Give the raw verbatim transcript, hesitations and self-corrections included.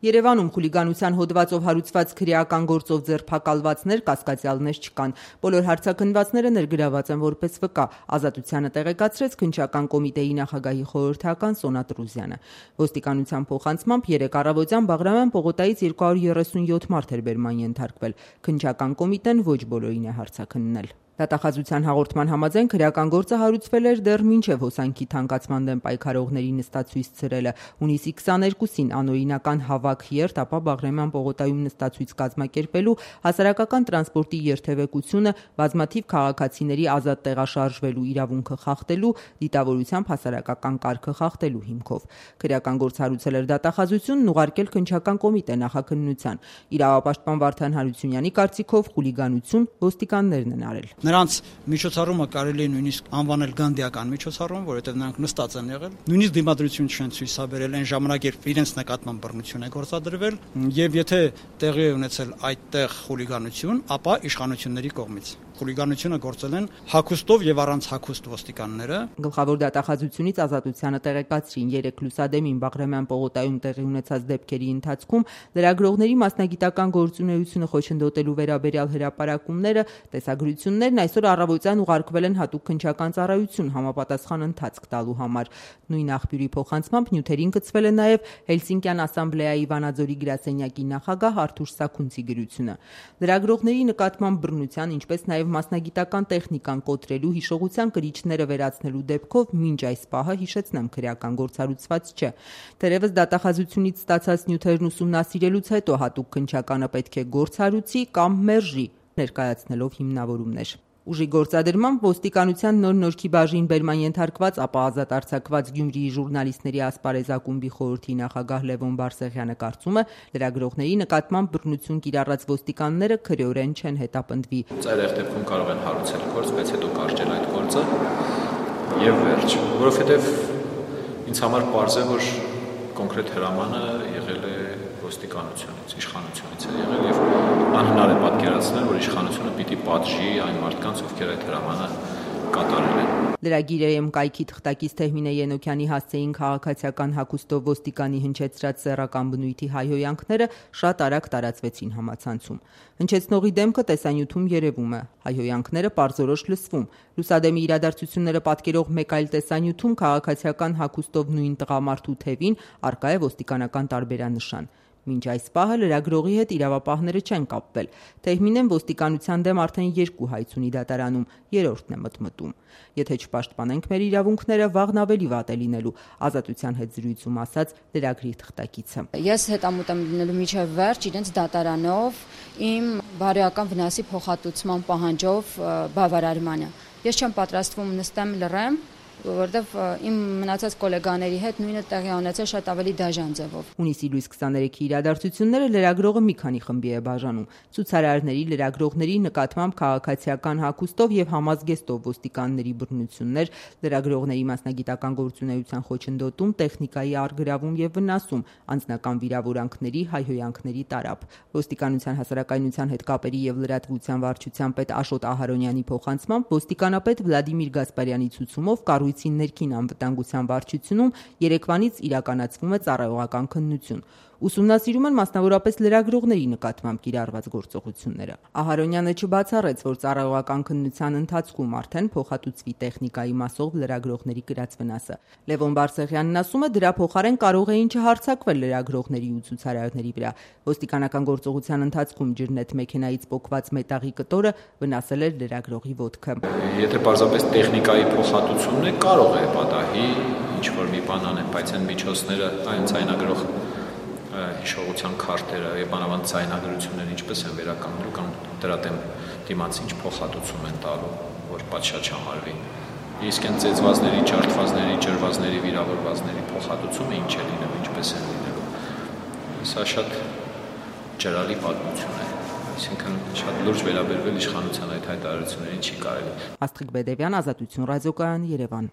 Երևանում խուլիգանության հոդվածով հարուցված քրեական գործով ձերբակալվածներ, կասկածյալներ չկան։ Բոլոր հարցաքննվածները ներգրաված են որպես վկա, Ազատությանը տեղեկացրեց Քննչական կոմիտեի նախագահի խորհրդական Սոնա Տրուզյանը։ Ոստիկանության փոխանցմամբ երեկ առավոտյան Բաղրամյան պողոտայից երկու հարյուր երեսունյոթ մարդ էր բերման ենթարկվել։ Քննչական կոմիտեն ոչ բոլորին է հարցաքննել։ Դատախազության հաղորդման համաձայն քրեական գործը հարուցվել էր դեռ մինչև հոսանքի թանկացման դեմ պայքարողների նստացույց ցրելը։ Հունիսի քսաներկուսին անօրինական հավաք երթ, ապա Բաղրամյան պողոտայում նստացույց կազմակերպելու, հասարակական տրանսպորտի երթևեկությունը, բազմաթիվ քաղաքացիների ազատ տեղաշարժվելու իրավունքը խախտելու, դիտավորությամբ հասարակական կարգը խախտելու հիմքով։ Քրեական գործ հարուցել էր դատախազությունն ուղարկել Քննչական կոմիտե նախաքննության։ Իրավապաշտպան Վարդան Հարությունյանի կարծիքով խուլիգանություն ոստիկաններն են արել։ Նրանց միջոցառումը կարելի է նույնիսկ անվանել գանդիական միջոցառում, որովհետև նրանք նստած են եղել, նույնիսկ դիմադրություն չեն ցույցաբերել այն ժամանակ, երբ իրենց նկատմամբ բռնություն է գործադրվել, եւ եթե տեղի է ունեցել այդտեղ խուլիգանություն, ապա իշխանությունների կողմից խուլիգանությունը գործել են հագուստով եւ առանց հագուստ ոստիկանները։ Գլխավոր դատախազությունից Ազատությանը տեղեկացրին երեք լուսադեմին Բաղրամյան պողոտայում տեղի ունեցած դեպքերի ընթացքում լրագրողների մասնագիտական գործունեությունը խոչընդոտելու վերաբերյալ հրապարակումները, տեսագրություններն այսօր առավոտյան ուղարկվել են հատուկ քննչական ծառայություն համապատասխան ընթացք տալու համար։ Նույն աղբյուրի փոխանցմամբ նյութերին գծվել է նաև Հելսինկյան ասամբլեայի Վանաձորի գրասենյակի նախագահ Արթուր Սաքունցի գրությունը։ Լրագրողների նկատմամբ բռնության, ինչպես նաև մասնագիտական տեխնիկան կոտրելու, հիշողության կրիչները վերացնելու դեպքով մինչ այս պահը հիշեցնեմ քրեական գործ հարուցված չէ։ Թերևս դատախազությունից ստացած նյութերն ուսումնասիրելուց հետո հատուկ քննչականը պետք է գործ հարուցի կամ մերժի, ներկայացնելով հիմնավորումներ։ Ուժի գործադրմամբ ոստիկանության նոր Նորքի բաժին բերման ենթարկված, ապա ազատ արձակված Գյումրիի ժուրնալիստների ասպարեզ ակումբի խորհրդի նախագահ Լևոն Բարսեղյանը կարծում է, լրագրողների նկատմամբ բռնություն կիրառած ոստիկանները քրեորեն չեն հետապնդվի։ Ծայրահեղ դեպքում կարող են հարուցել գործ, բայց հետո կարճել այդ գործը եւ վերջ, որովհետեւ ինձ համար պարզ է, որ կոնկրետ հրամանը եղել է ոստիկանությունից, իշխանությունից է եղել եւ անհնար է պատկերացնել, որ իշխանությունը պիտի պատժի այն մարդկանց, ովքեր այդ հրամանը կատարել են։ Լրագիրայեմ կայքի թղթակից Թեհմինե Ենոքյանի հասցեին քաղաքացիական հագուստով ոստիկանի հնչեցրած սեռական բնույթի հայհոյանքները շատ արագ տարածվեցին համացանցում։ Հնչեցնողի դեմքը տեսանյութում երևում է, հայհոյանքները պարզորոշ լսվում։ Լուսադեմի իրադարձությունները պատկերող մեկ այլ տեսանյութում քաղաքացիական հագուստով նույն տղամարդու թևին առկա է ոստիկանական տարբերանշան։ Մինչ այս պահը լրագրողի հետ իրավապահները չեն կապվել։ Թեհմինեն ոստիկանության դեմ արդեն երկու հայց ունի դատարանում, երրորդն է մտմտում։ Եթե չպաշտպանենք մեր իրավունքները, վաղն ավելի վատ է լինելու, Ազատության հետ զրույցում ասաց լրագրի թղթակիցը։ Ես հետամուտ եմ լինելու միջև վերջ իրենց դատարանով իմ բարոյական վնասի փոխհատուցման պահանջով բավարարմանը։ Ես չեմ պատրաստվում նստեմ լռեմ, որովհետև իմ մնացած գոլեգաների հետ նույնը տեղի ունեցել շատ ավելի դաժան ձևով։ Հունիսի լույս քսաներեքի իրադարձությունները լրագրողը մի քանի խմբի է բաժանում։ Ցուցարարների, լրագրողների նկատմամբ քաղաքացիական հագուստով եւ համազգեստով ոստիկանների բռնություններ, լրագրողների մասնագիտական գործունեության խոչընդոտում, տեխնիկայի առգրավում եւ վնասում, անձնական վիրավորանքների, հայհոյանքների տարափ։ Ոստիկանության հասարակայնության հետ կապերի եւ լրատվության վարչության պետ Աշոտ Ահարոնյանի փոխանցմամբ ոստիկանապետ Վլադիմիր Գասպարյանի ցուցումով կառույցի ներքին անվտանգության վարչությունում երեկվանից իրականացվում է ծառայողական քննություն։ Ուսումնասիրում են մասնավորապես լրագրողների նկատմամբ կիրառված գործողությունները։ Ահարոնյանը չբացառեց, որ ծառայողական քննության ընթացքում արդեն փոխհատուցվի տեխնիկայի մասով լրագրողների կրած վնասը։ Լևոն Բարսեղյանն ասում է, դրա փոխարեն կարող էին չհարձակվել լրագրողների ու ցուցարարների վրա։ Ոստիկանական գործողության ընթացքում ջրնետ մեքենայից պոկված մետաղի կտորը վնասել էր լրագրողի ոտքը։ Եթե պարզապես տեխնիկայի փոխհատուցումն է, կարող է պատահի ինչ որ մի բան անեն, բայց այն միջոցները, այն ցայնագրող հիշողության քարտերը եւ բանավանդ ցայնագրությունները ինչպես են վերականգնելու կամ դրա դեմ դիմաց ինչ փոխհատուցում են տալու, որ պատշաճ համարվի։ Իսկ այն ծեծվածների, ջարդվածների, ջրվածների, վիրավորվածների փոխհատուցումը ինչ է լինելու, ինչպես է լինելու։ Սա շատ ջրալի պատմություն է։ Այսինքն շատ լուրջ վերաբերվել իշխանության այդ հայտարարություններին չի կարելի։ Աստղիկ Բեդևյան, Ազատություն ռադիոկայան, Երևան։